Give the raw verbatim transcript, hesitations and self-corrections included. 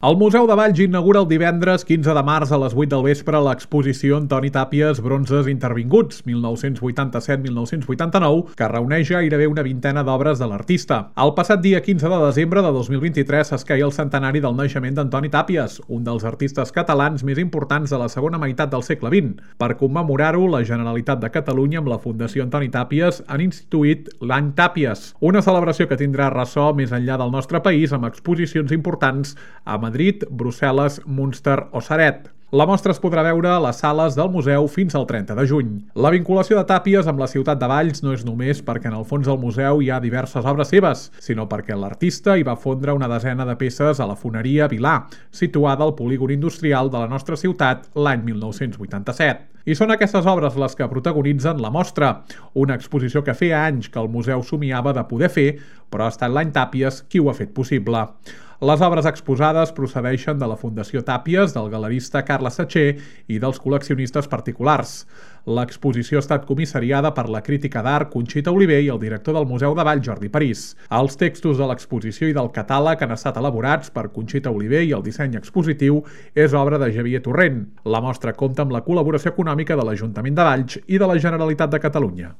El Museu de Valls inaugura el divendres quinze de març a les vuit del vespre l'exposició Antoni Tàpies Bronzes intervinguts, mil nou-cents vuitanta-set a mil nou-cents vuitanta-nou, que reuneix gairebé una vintena d'obres de l'artista. El passat dia quinze de desembre de dos mil vint-i-tres s'esqueia el centenari del naixement d'Antoni Tàpies, un dels artistes catalans més importants de la segona meitat del segle vint. Per commemorar-ho, la Generalitat de Catalunya amb la Fundació Antoni Tàpies han instituït l'Any Tàpies, una celebració que tindrà ressò més enllà del nostre país amb exposicions importants a Madrid, Brussel·les, Münster o Ceret. La mostra es podrà veure a les sales del museu fins al trenta de juny. La vinculació de Tàpies amb la ciutat de Valls no és només perquè en el fons del museu hi ha diverses obres seves, sinó perquè l'artista hi va fondre una desena de peces a la foneria Vilà, situada al polígon industrial de la nostra ciutat l'any mil nou-cents vuitanta-set. I són aquestes obres les que protagonitzen la mostra, una exposició que feia anys que el museu somiava de poder fer, però ha estat l'Any Tàpies qui ho ha fet possible. Les obres exposades procedeixen de la Fundació Tàpies, del galerista Carles Satcher i dels col·leccionistes particulars. L'exposició ha estat comissariada per la crítica d'art Conxita Oliver i el director del Museu de Valls, Jordi París. Els textos de l'exposició i del catàleg han estat elaborats per Conxita Oliver i el disseny expositiu és obra de Xavier Torrent. La mostra compta amb la col·laboració econòmica de l'Ajuntament de Valls i de la Generalitat de Catalunya.